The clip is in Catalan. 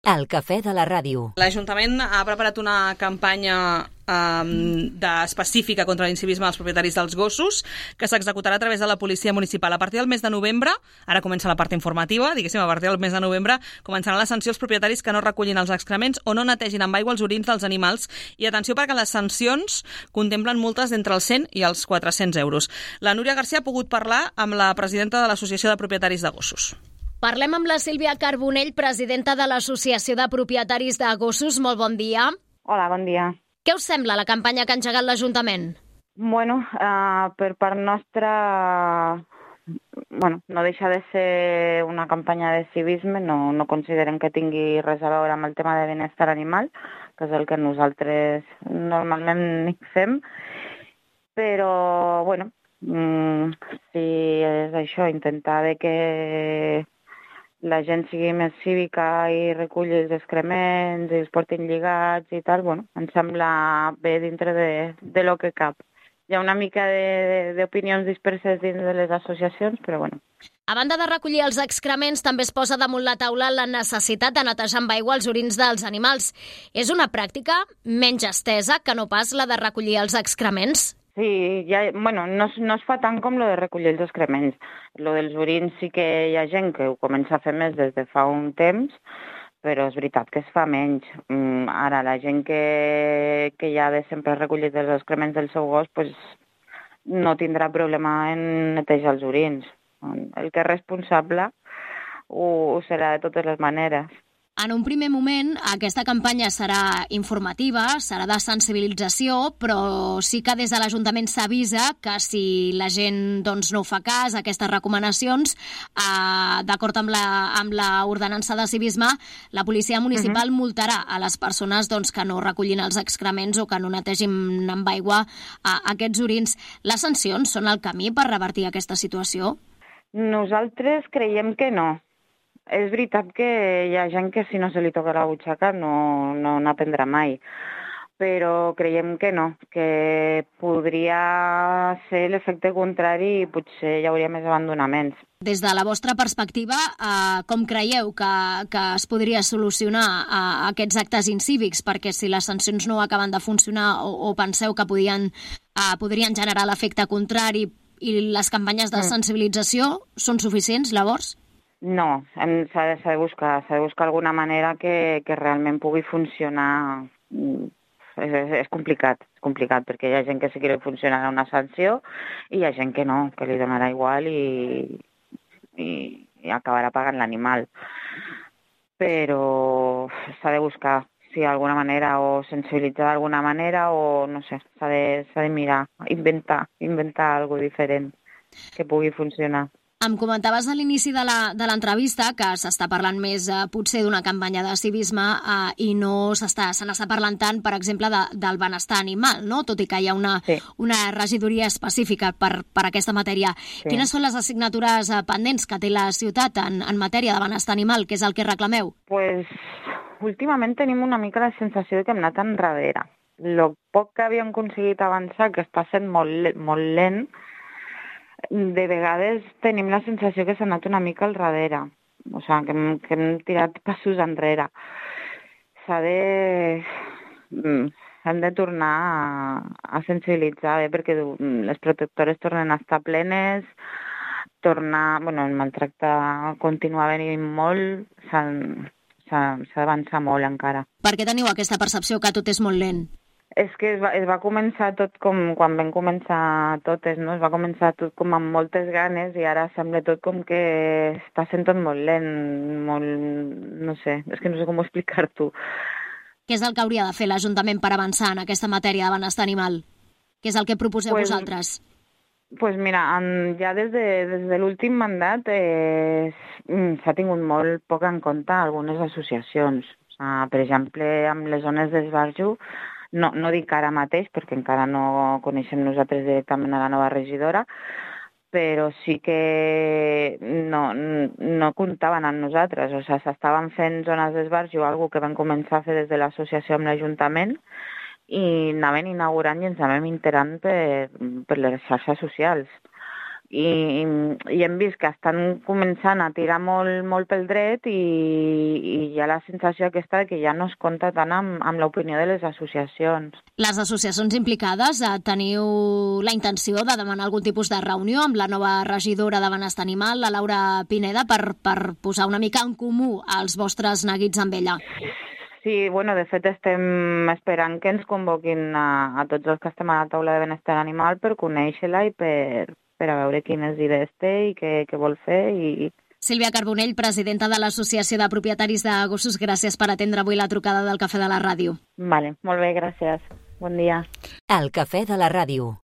El cafè de la ràdio. L'Ajuntament ha preparat una campanya específica contra l'incivisme dels propietaris dels gossos que s'executarà a través de la policia municipal. A partir del mes de novembre, ara comença la part informativa, a partir del mes de novembre començaran les sancions als propietaris que no recullin els excrements o no netegin amb aigua els orins dels animals. I atenció, perquè les sancions contemplen multes d'entre els 100 i els 400 euros. La Núria García ha pogut parlar amb la presidenta de l'Associació de Propietaris de Gossos. Parlem amb la Sílvia Carbonell, presidenta de l'Associació de Propietaris de Gossos. Molt bon dia. Hola, bon dia. Què us sembla la campanya que ha engegat l'Ajuntament? Bueno, per part nostra, no deixa de ser una campanya de civisme, no considerem que tingui res a veure amb el tema de benestar animal, que és el que nosaltres normalment fem, però, si és això, intentar que la gent sigui més cívica i reculli els excrements i els portin lligats i tal, em sembla bé dintre de lo que cap. Hi ha una mica d'opinions disperses dins de les associacions, però bueno. A banda de recollir els excrements, també es posa damunt la taula la necessitat de netejar amb aigua els orins dels animals. És una pràctica menys estesa que no pas la de recollir els excrements? Sí, no es fa tant com lo de recollir els excrements. Lo dels orins sí que hi ha gent que ho comença a fer més des de fa un temps, però és veritat que es fa menys. Ara, la gent que ja de sempre ha recollit els excrements del seu gos, no tindrà problema en netejar els orins. El que és responsable ho serà de totes les maneres. En un primer moment, aquesta campanya serà informativa, serà de sensibilització, però sí que des de l'Ajuntament s'avisa que si la gent no fa cas a aquestes recomanacions, d'acord amb la ordenança de civisme, la policia municipal multarà a les persones que no recollin els excrements o que no netegin amb aigua aquests orins. Les sancions són el camí per revertir aquesta situació? Nosaltres creiem que no. És veritat que hi ha gent que si no se li toca la butxaca no n'aprendrà mai, però creiem que no, que podria ser l'efecte contrari i potser hi hauria més abandonaments. Des de la vostra perspectiva, com creieu que es podria solucionar aquests actes incívics? Perquè si les sancions no acaben de funcionar o penseu que podrien generar l'efecte contrari i les campanyes de sensibilització són suficients, llavors? No, s'ha de buscar alguna manera que realment pugui funcionar. És complicat perquè hi ha gent que sí que funcionarà una sanció i hi ha gent que no, que li donarà igual i acabarà pagant l'animal. Però s'ha de buscar, si d'alguna manera, o sensibilitzar d'alguna manera, o no sé, s'ha de mirar, inventar alguna cosa diferent que pugui funcionar. Em comentaves a l'inici de l'entrevista que s'està parlant més potser d'una campanya de civisme i no se n'està parlant tant, per exemple, del benestar animal, no? Tot i que hi ha una regidoria específica per aquesta matèria. Sí. Quines són les assignatures pendents que té la ciutat en matèria de benestar animal? Què és el que reclameu? Últimament tenim una mica la sensació que hem anat enrere. El poc que havíem aconseguit avançar, que està sent molt lent, de vegades tenim la sensació que s'ha anat una mica al darrere, que hem tirat passos enrere. S'han de tornar a sensibilitzar perquè les protectores tornen a estar plenes, el maltracte continua venint molt, s'ha d'avançar molt encara. Per què teniu aquesta percepció que tot és molt lent? És que es va començar tot com quan vam començar totes, no? Es va començar tot com amb moltes ganes i ara sembla tot com que està sent tot molt lent, no sé com explicar-t'ho. Què és el que hauria de fer l'Ajuntament per avançar en aquesta matèria de benestar animal? Què és el que proposeu vosaltres? Mira, ja des de l'últim mandat s'ha tingut molt poc en compte algunes associacions. Per exemple, amb les zones d'esbarjo, no dic ara mateix, perquè encara no coneixem nosaltres directament a la nova regidora, però sí que no comptaven amb nosaltres. S'estaven fent zones d'esbarjo, una cosa que vam començar a fer des de l'associació amb l'Ajuntament, i anaven inaugurant i ens anàvem enterant per les xarxes socials. i hem vist que estan començant a tirar molt pel dret i hi ha la sensació aquesta que ja no es compta tant amb l'opinió de les associacions. Les associacions implicades teniu la intenció de demanar algun tipus de reunió amb la nova regidora de Benestar Animal, la Laura Pineda, per posar una mica en comú els vostres neguits amb ella. Sí, bueno, de fet estem esperant que ens convoquin a tots els que estem a la taula de benestar animal per conèixer-la i per a veure quines idees té i què vol fer. Sílvia Carbonell, presidenta de l'Associació de Propietaris de Gossos, gràcies per atendre avui la trucada del Cafè de la Ràdio. Vale, molt bé, gràcies. Bon dia. El Cafè de la Ràdio.